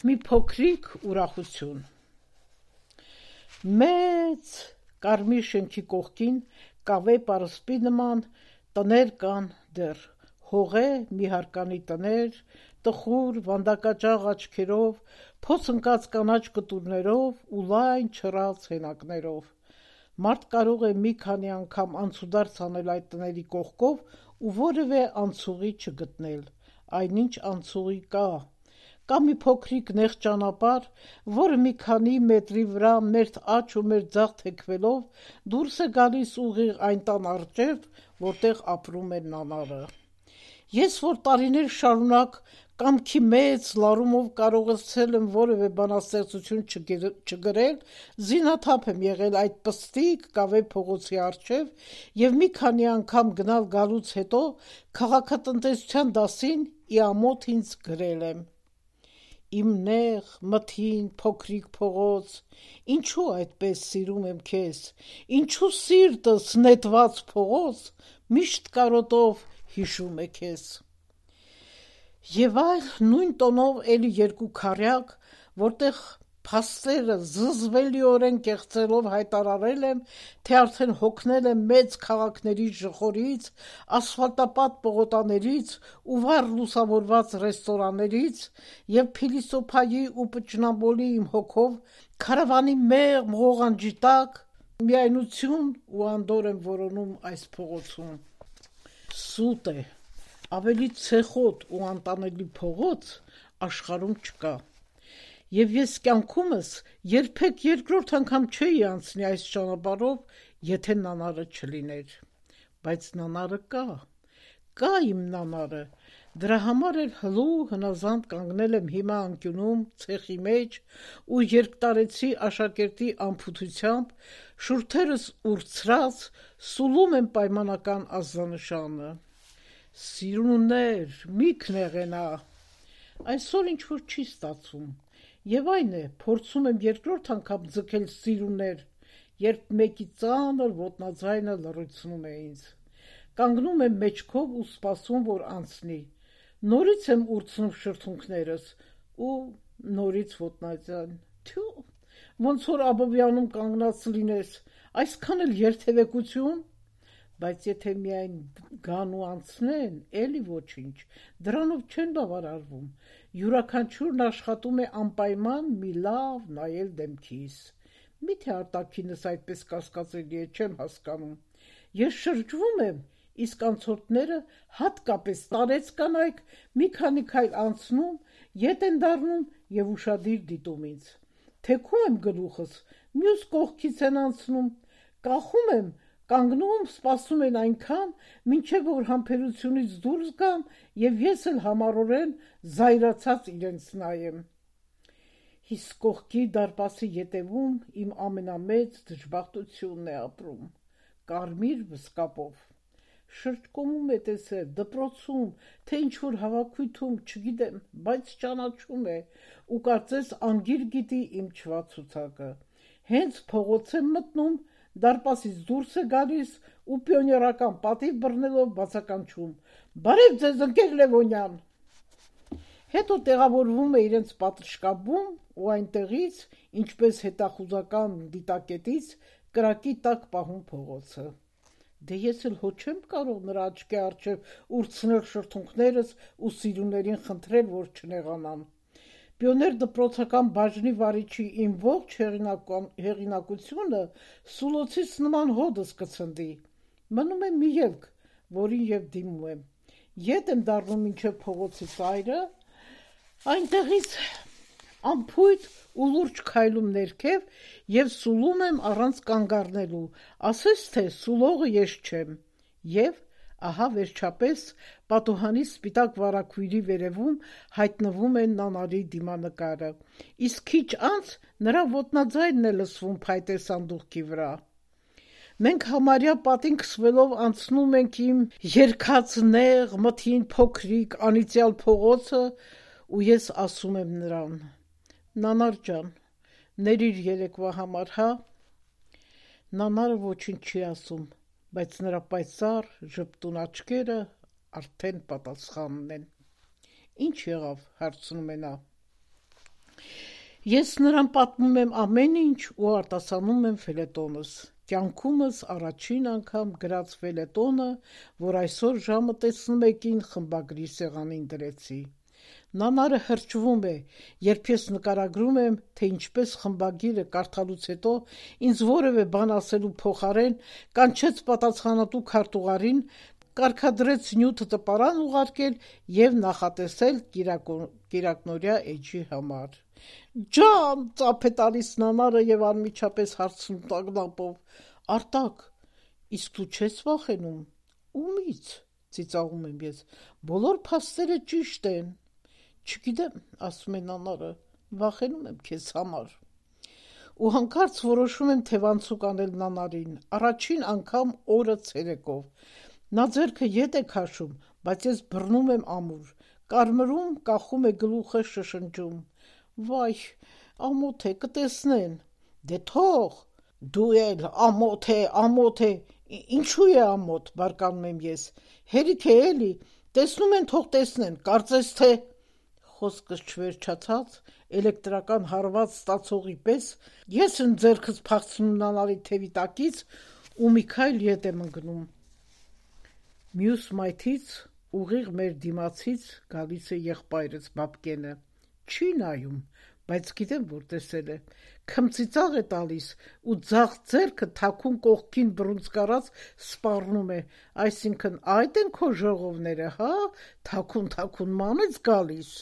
Մի փոքրիկ ուրախություն։ Մեծ կարմիր շենքի կողքին կավե պարսպի նման տներ կան դեռ, հողե մի հարկանի տներ, տխուր վանդակաճաղ աչքերով, փոց ընկած կանաչ կտուրներով ու լայն չռած հենակներով։ Մարդ կարող է մի քանի անգամ անցուդարձ անել այդ տների կողքով ու որևէ անցուղի չգտնել, այնինչ անցուղի կա մի փոքրիկ նեղ ճանապարհ, որը մի քանի մետրի վրա մերթ աջ ու մերթ ձախ թեքվելով դուրս է գալիս ուղիղ այն տան առջև, որտեղ ապրում է նանարը։ Ես, որ տարիներ շարունակ կամքի մեծ լարումով կարողացել եմ որևէ բանաստեղծություն չգրել, զինաթափ եմ եղել այդ պստիկ կավե փողոցի առջև և մի քանի անգամ գնալ գալուց հետո քաղաքատնտեսության դասին ի ամոթ ինձ գրել եմ. Իմ նեղ, մթին, փոքրիկ փողոց, ինչու այդպես սիրում եմ քեզ, ինչու սիրտս նետված փողոց միշտ կարոտով հիշում է քեզ։ Եվ այլ նույն տոնով էլի երկու քառյակ, որտեղ փաստերը զզվելիորեն կեղծելով հայտարարել եմ, թե արդեն հոգնել եմ մեծ քաղաքների ժխորից, ասֆալտապատ պողոտաներից ու վառ լուսավորված ռեստորաններից և փիլիսոփայի ու պճնամոլի իմ հոգով քարավանի մեղմ ղողանջի տակ միայնություն ու անդորր եմ որոնում այս փողոցում։ Սուտ է, ավելի ցեխոտ ու անտանելի փողոց աշխարհում չկա։ Եվ ես կյանքումս երբեք երկրորդ անգամ չէի անցնի այս ճանապարհով, եթե նանարը չլիներ։ Բայց նանարը կա իմ նանարը, դրա համար էլ հլու հնազանդ կանգնել եմ հիմա անկյունում, ցեխի մեջ ու երկտարեցի աշակերտի անփութությամբ, շուրթերս ուրցրած սուլում եմ պայմանական ազդանշանը։ Սիրուններ, մի քնեղենա։ Այսօր ինչ-որ չի ստացվում։ Եվ այն է, փորձում եմ երկրորդ անգամ ձգել սիրուներ, երբ մեկի ծանր ոտնաձայնը լռեցնում է ինձ։ Կանգնում եմ մեջքով ու սպասում, որ անցնի։ Նորից եմ ուրցնում շրթունքներս ու նորից ոտնաձայն։ Թյու, ոնց որ Աբովյանում կանգնած լինես, այսքան էլ երթևեկություն։ Բայց եթե միայն գան ու անցնեն, էլի ոչինչ, դրանով չեն բավարարվում։ Յուրաքանչյուրն աշխատում է անպայման մի լավ նայել դեմքիս։ Միթե արտաքինս այդպես կասկածելի է, չեմ հասկանում։ Ես շրջվում եմ, իսկ անցորդները, հատկապես տարեց կանայք, մի քանի քայլ անցնում, ետ են դառնում և ուշադիր դիտում ինձ։ Թեքում եմ գլուխս, մյուս կողքից են անցնում, կախում եմ, կանգնում, սպասում են այնքան, մինչև որ համբերությունից դուրս գամ և ես էլ համառորեն զայրացած իրենց նայեմ։ Իսկ կողքի դարպասի ետևում իմ ամենամեծ դժբախտությունն է ապրում, կարմիր վսկապով։ Շրջկոմում է տեսել, դպրոցում, թե ինչ-որ հավաքույթում, չգիտեմ, բայց ճանաչում է ու կարծես անգիր գիտի իմ չվացուցակը։ Հենց փողոց եմ մտնում, դարպասից դուրս է գալիս ու պիոներական պատիվ բռնելով բացականչում. «Բարև ձեզ, ընկեր Լևոնյան»։ Հետո տեղավորվում է իրենց պատշգամբում ու այնտեղից, ինչպես հետախուզական դիտակետից, կրակի տակ պահում փողոցը։ Դե ես էլ հո չեմ կարող նրա աչքի առջև ուրցնել շրթունքներս ու սիրուներին խնդրել, որ չնեղանան։ Պիոներ դպրոցական բաժնի վարիչի իմ ողջ հեղինակությունը սուլոցից նման հոդս կցնդի։ Մնում է մի ելք, որին և դիմում եմ։ Ետ եմ դառնում մինչև փողոցի ծայրը, այնտեղից անփույթ ու լուրջ քայլում ներքև և սուլում եմ առանց կանգ առնելու, ասես թե սուլողը ես չեմ։ Եվ ահա վերջապես պատուհանի սպիտակ վարագույրի վերևում հայտնվում է նանարի դիմանկարը, իսկ քիչ անց նրա ոտնաձայնն է լսվում փայտե սանդուղքի վրա։ Մենք համարյա պատին քսվելով անցնում ենք իմ երգած նեղ, մթին, փոքրիկ, անիծյալ փողոցը ու ես ասում եմ նրան. «Նանար ջան, ներիր երեկվա համար, հա»։ Նանարը ոչինչ չի ասում, բայց նրա պայծառ ժպտուն աչքերը արդեն պատասխանն են։ Ինչ եղավ, հարցնում է նա։ Ես նրան պատմում եմ ամեն ինչ ու արտասանում եմ ֆելետոնս։ Կյանքումս առաջին անգամ գրած ֆելետոնը, որ այսօր ժամը 11-ին խմբագրի սեղանին դրեցի։ Նանարը հրճվում է, երբ ես նկարագրում եմ, թե ինչպես խմբագիրը կարդալուց հետո ինձ որևէ բան ասելու փոխարեն կանչեց պատասխանատու քարտուղարին, կարգադրեց նյութը տպարան ուղարկել և նախատեսել կիրակնօրյա էջի համար։ «Ջան», ծափ է տալիս Նանարը և անմիջապես հարցնում տագնապով. «Արտակ, իսկ դու չես վախենում»։ «Ումի՞ց», ծիծաղում եմ ես, «բոլոր փաստերը ճիշտ են»։ «Չգիտեմ», ասում է Նանարը, «վախենում եմ քեզ համար»։ Ու հանկարծ որոշում եմ թևանցուկ անել Նանարին, առաջին անգամ օրը ցերեկով։ Նա ձեռքը ետ է քաշում, բայց ես բռնում եմ ամուր, կարմրում, կախում է գլուխը, շշնջում. «Վայ, ամոթ է, կտեսնեն»։ «Դե թող»։ «Դու էլ, ամոթ է, ամոթ է»։ «Ինչու է ամոթ», բարկանում եմ ես, «հերիք է էլի, տեսնում են, թող տեսնեն, կարծես թե»։ Խոսքս չվերջացած, էլեկտրական հարված ստացողի պես ես եմ ձեռքս փախցնում Նանարի թևի տակից ու մի քայլ ետ եմ ընկնում։ Մյուս մայթից ուղիղ մեր դիմացից գալիս է եղբայրս Բաբկենը։ Չի նայում, բայց գիտեմ, որ տեսել է։ Քմծիծաղ է տալիս ու ձախ ձեռքը թաքուն կողքին բռունցք առած սպառնում է, այսինքն այդ են քո ժողովները, հա, թաքուն մանեց գալիս։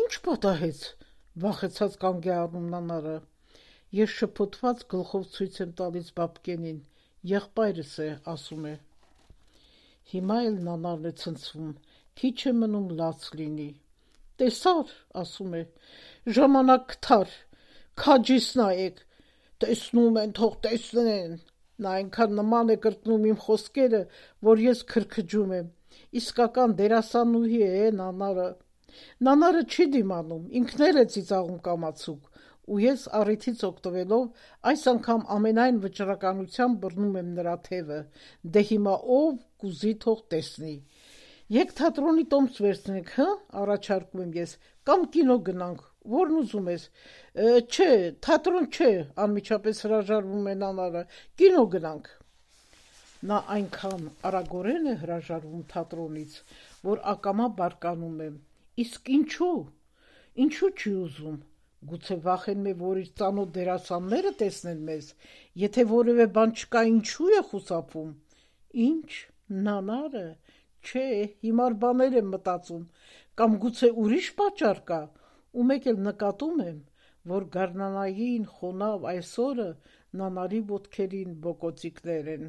Ինչ պատահեց, վախեցած կանգ է առնում Նանարը։ Ես շփոթված գլխով ցույց եմ տալիս Բաբկենին, եղբայրս է, ասում է։ Հիմա էլ Նանարն է ցնցվում, քիչ է մնում լաց լինի։ «Տեսա՞ր», ասում է, «ժամանակ գտար, քաջիս նայեք, տեսնում են, թող տեսնեն»։ Նա այնքան նման է կրկնում իմ խոսքերը, որ ես քրքջում եմ։ Իսկական դերասանուհի է Նանարը։ Նանարը չի դիմանում, ինքն էլ է ծիծաղում կամացուկ, ու ես առիթից օգտվելով այս անգամ ամենայն վճռականությամբ բռնում եմ նրա թևը, դե հիմա ով կուզի թող տեսնի։ Եկ թատրոնի տոմս վերցնենք, հը, առաջարկում եմ ես, կամ կինո գնանք, որն ուզում ես։ Չէ, թատրոն չէ, անմիջապես հրաժարվում է Նանարը, կինո գնանք։ Նա այնքան արագորեն է հրաժարվում թատրոնից, որ ակամա բարկանում եմ։ Իսկ ինչու չի ուզում։ Գուցե վախենում է, որ իր ծանոթ դերասանները տեսնեն մեզ, եթե որևէ բան չկա, ինչու է խուսափում։ Ինչ, Նանարը։ Չէ, հիմար բաներ եմ մտածում, կամ գուցե ուրիշ պատճառ կա, ու մեկ էլ նկատում եմ, որ գարնանային խոնավ այսօրը Նանարի ոտքերին բոկոցիկներ են։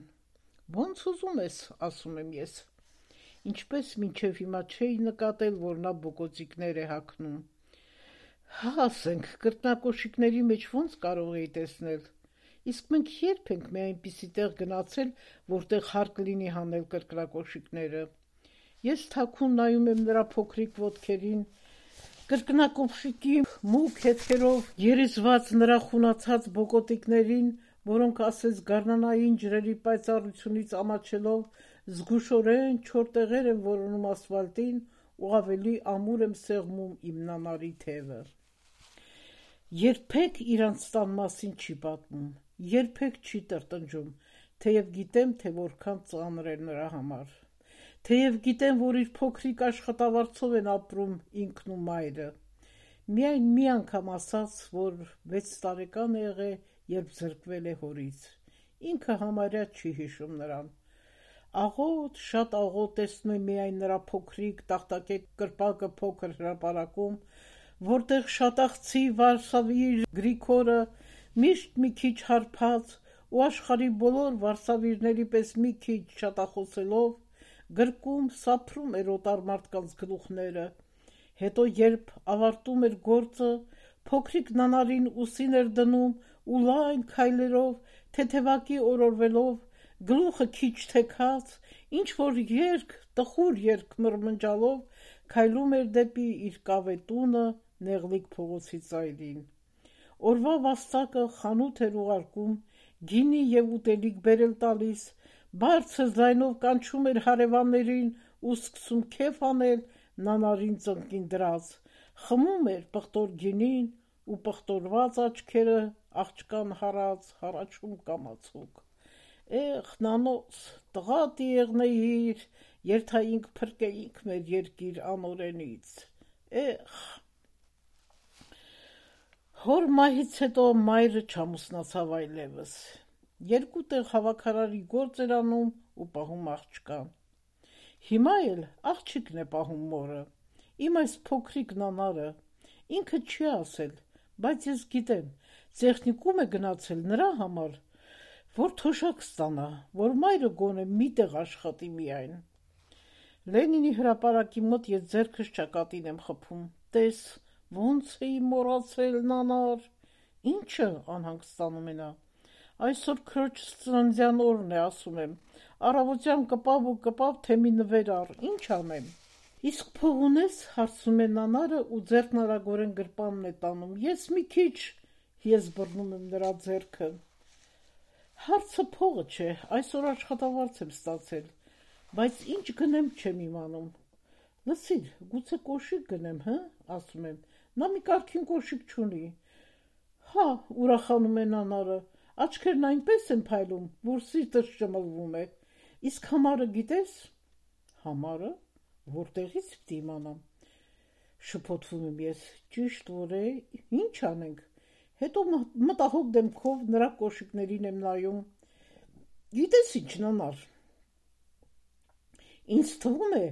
Ոնց ուզում ես, ասում եմ ես։ Ինչպես մինչև հիմա չէի նկատել, որ նա բոկոցիկներ է հագնում։ Հա, ասենք, կրկնակոշիկների մեջ ոնց կարող էի տեսնել։ Իսկ մենք երբ ենք մի այնպիսի տեղ գնացել, որտեղ հարկ լինի հանել կրկնակոշիկները։ Ես թաքուն նայում եմ նրա փոքրիկ ոտքերին, կրկնակոշիկի մուգ հետքերով երիզված նրա խունացած բոկոտիկներին, որոնք ասես գարնանային ջրերի պայծառությունից ամաչելով զգուշորեն չոր տեղեր են որոնում ասֆալտին ու ավելի ամուր եմ սեղմում իմ Նանարի թևը։ Երբեք իրանց տան մասին չի պատմում, երբեք չի տրտնջում, թեև գիտեմ, թե որքան ծանր է նրա համար, թեև գիտեմ, որ իր փոքրիկ աշխատավարձով են ապրում ինքն ու մայրը։ Միայն մի անգամ ասաց, որ 6 տարեկան է եղել, երբ զրկվել է հորից։ Ինքը համարյա չի հիշում նրան։ Աղոտ, շատ աղոտ տեսնում է միայն նրա փոքրիկ տախտակե կրպակը փոքր հրապարակում, որտեղ շատախցի վարսավիր Գրիգորը միշտ մի քիչ հարբած ու աշխարհի բոլոր վարսավիրների պես մի քիչ շատախոսելով գրկում սափրում էր օտար մարդկանց գլուխները, հետո երբ ավարտում էր գործը, փոքրիկ Նանարին ուսին էր դնում ու լայն քայլերով, թեթևակի օրորվելով, գլուխը քիչ թեքած, ինչ-որ տխուր երգ մրմնջալով քայլում էր դեպի իր կավետունը Նեղլիկ փողոցի ծայրին։ Օրվա վաստակը խանութ էր ուղարկում, գինի և ուտելիք բերել տալիս, բարձր ձայնով կանչում էր հարևաններին ու սկսում քեֆ անել Նանարին ծնկին դրած, խմում էր պղտոր գինին ու պղտորված աչքերը աղջկան հարած, հարաչում կամացուկ: Էխ, նանոց, տղա դիեղնեիր, երթայինք փրկեինք մեր երկիր անօրենից, էխ: Հոր մահից հետո մայրը չամուսնացավ այլևս, երկու տեղ հավաքարարի գործ էր անում ու պահում աղջկան: Հիմա էլ աղջիկն է պահում մորը, իմ այս փոքրիկ նանարը, ինքը չի ասել, բայց ես գիտեմ, տեխնիկում է գնացել նրա համար, որ թոշակ ստանա, որ մայրը գոնե մի տեղ աշխատի միայն: Լենինի հրապարակի մոտ ես ձեռքս ճակատին եմ խփում, տես, ոնց էի մոռացել, նանար: Ի՞նչը, անհանգստանում է նա: Այսօր քրոջս ծննդյան օրն է, ասում եմ, առավոտյան կպավ ու կպավ, թե մի նվեր առ, ինչ անեմ: Իսկ փող ունես, հարցնում է նանարը ու ձեռքն արագորեն գրպանն է տանում, ես մի քիչ, ես բռնում եմ նրա ձեռքը: Հարցը փողը չէ, այսօր աշխատավարձ եմ ստացել, բայց ինչ գնեմ չեմ իմանում: Լսիր, գուցե կոշիկ գնեմ, հը, ասում եմ, նա մի կարգին կոշիկ չունի: Հա, ուրախանում է նանարը, աչքերն այնպես են փայլում, որ սիրտս ճմլվում է: Իսկ համարը գիտես: Համարը, որտեղից պիտի իմանամ: Շփոթվում եմ ես, ճիշտ որ է, ինչ անենք: Հետո մտահոգ դեմքով նրա կոշիկներին եմ նայում: Գիտես ինչ, նանար, ինձ թվում է,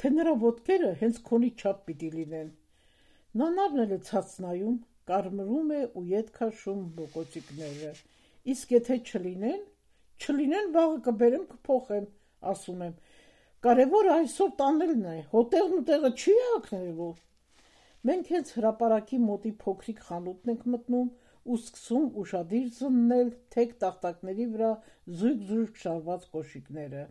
թե նրա ոտքերը հենց քոնի չափ պիտի լինեն: Նանարն էլ է ցած նայում, կարմրում է ու ետ քաշում բոկոտիկները: Իսկ եթե չլինեն: Չլինեն, վաղը կբերեմ կփոխեմ, ասում եմ, կարևորը այսօր տանելն է, հոտեղն ու տեղը չի հագնելու: Մենք հենց հրապարակի մոտի փոքրիկ խանութն ենք մտնում ու սկսում ուշադիր զննել թեք տախտակների վրա զույգ-զույգ շարված կոշիկները: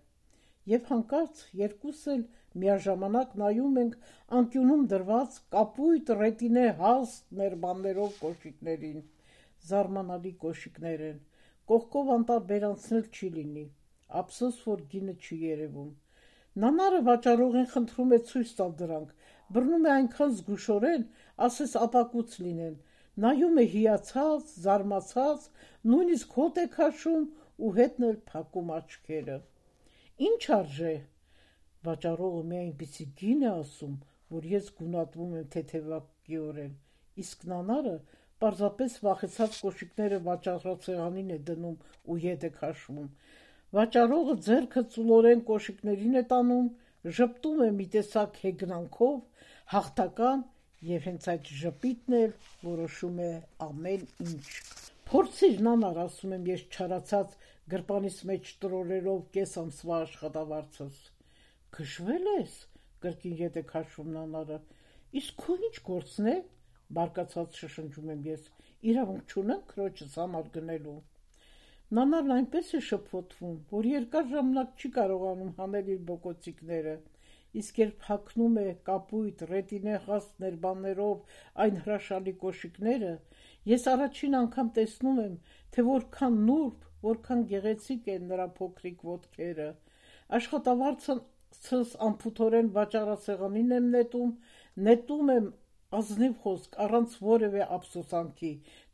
Եվ հանկարծ երկուսս էլ միաժամանակ նայում ենք անկյունում դրված կապույտ ռետինե հաստ ներբաններով կոշիկներին: Զարմանալի կոշիկներ են, կողքով անտարբեր անցնել չի լինի, ափսոս որ գինը չի երևում: Նանարը վաճառողին խնդրում է ցույց տալ դրանք, բռնում է այնքան զգուշորեն, ասես ապակուց լինեն, նայում է հիացած, զարմացած, նույնիսկ հոտ է քաշում ու հետն էլ փակում աչքերը: Ինչ արժե: Վաճառողը մի այնպիսի գին է ասում, որ ես գունատվում եմ թեթևակիորեն, իսկ նանարը պարզապես վախեցած կոշիկները վաճառասեղանին է դնում ու ետ է քաշվում: Վաճառողը ձեռքը ծուլորեն կոշիկներին է տանում, ժպտում է մի տեսակ հեգնանքով, հաղթական և հենց այդ ժպիտն էլ որոշում է ամեն ինչ: Փորձիր, նանար, ասում եմ ես չարացած, գրպանիս մեջ տրորելով կես ամսվա աշխատավարձս: Քշվե՞լ ես, կրկին ետ է քաշում նանարը, իսկ քո ինչ գործն է, բարկացած շշնջում եմ ես, իրավունք չունեմ քրոջս համար գնելու: Նանարն այնպես է շփոթվում, որ երկար ժամանակ չի կարողանում հանել իր բոկոտիկները, իսկ երբ հագնում է կապույտ ռետինե հաստ ներբաններով այն հրաշալի կոշիկները, ես առաջին անգամ տեսնում եմ, թե որքան նուրբ, որքան գեղեցիկ են նրա փոքրիկ ոտքերը: Աշխատավարձս անփութորեն վաճառասեղանին եմ նետում եմ ազնիվ խոսք, առանց որևէ ափսոսանքի,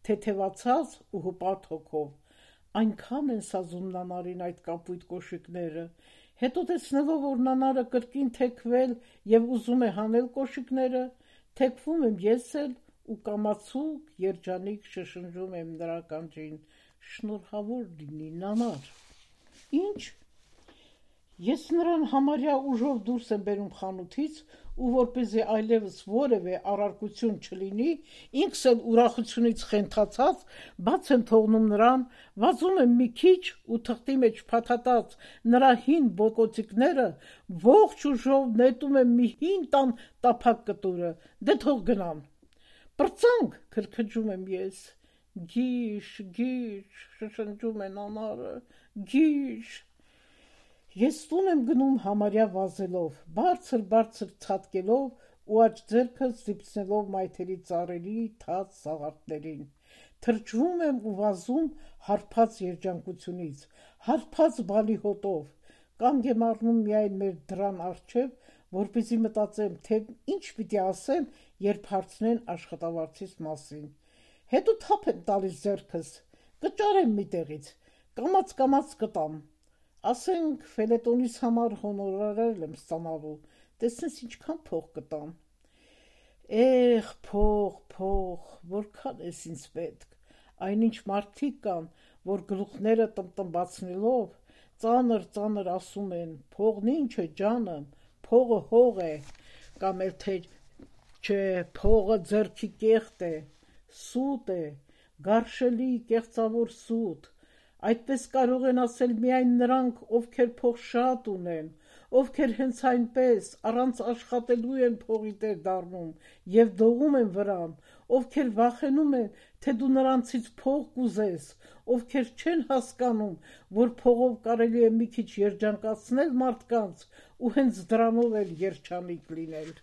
թեթևացած ու հպարտ հոգով: Այնքան են սազում նանարին այդ կապույտ կոշիկները: Հետո տեսնելով, որ նանարը կրկին թեքվել և ուզում է հանել կոշիկները, թեքվում եմ ես էլ ու կամացուկ, երջանիկ շշնջում եմ նրա ականջին, շնորհավոր լինի, նանար: Ինչ: Ես նրան համարյա ուժով դուրս եմ բերում խանութից ու որպեսզի այլևս որևէ առարկություն չլինի, ինքս էլ ուրախությունից խենթացած, բաց եմ թողնում նրան, վազում եմ մի քիչ ու թղթի մեջ փաթաթած նրա հին բոկոտիկները ողջ ուժով նետում եմ մի հին տան տափակ կտուրը, դե թող գնան: Պրծանք, քրքջում եմ ես: Գիշ, գիշ, շշնջում է նանարը, գիշ: Ես տուն եմ գնում համարյա վազելով, բարձր ցատկելով ու աջ ձեռքս զիպցնելով մայթերի ծառերի թաց սաղարթներին, թրջվում եմ ու վազում հարբած երջանկությունից, հարբած բալիհոտով, կանգ եմ առնում միայն մեր դռան առջև, որպեսզի մտածեմ, թե ինչ պիտի ասեմ, երբ հարցնեն աշխատավարձիս մասին: հետո թափ եմ տալիս ձեռքս, կճարեմ մի տեղից, կամաց կտամ, ասենք ֆելետոնիս համար հոնորարել եմ ստանալու, տեսնես ինչքան փող կտամ, էխ փող, որքան ես ինձ պետք, այնինչ մարդիկ կան, որ գլուխները տնբացնելով, ծանր ասում են, փողն ինչ է ջանım, փողը հող է, կամ էլ թե չէ, փողը ձեռքի կեղտ է, սուտ է, գարշելի կեղծավոր սուտ, այդպես կարող են ասել միայն նրանք, ովքեր փող շատ ունեն, ովքեր հենց այնպես առանց աշխատելու են փողի տեր դառնում և դողում են վրան, ովքեր վախենում են, թե դու նրանցից փող կուզես, ովքեր չեն հասկանում, որ փողով կարելի է մի քիչ երջանկացնել մարդկանց ու հենց դրանով էլ երջանիկ լինել։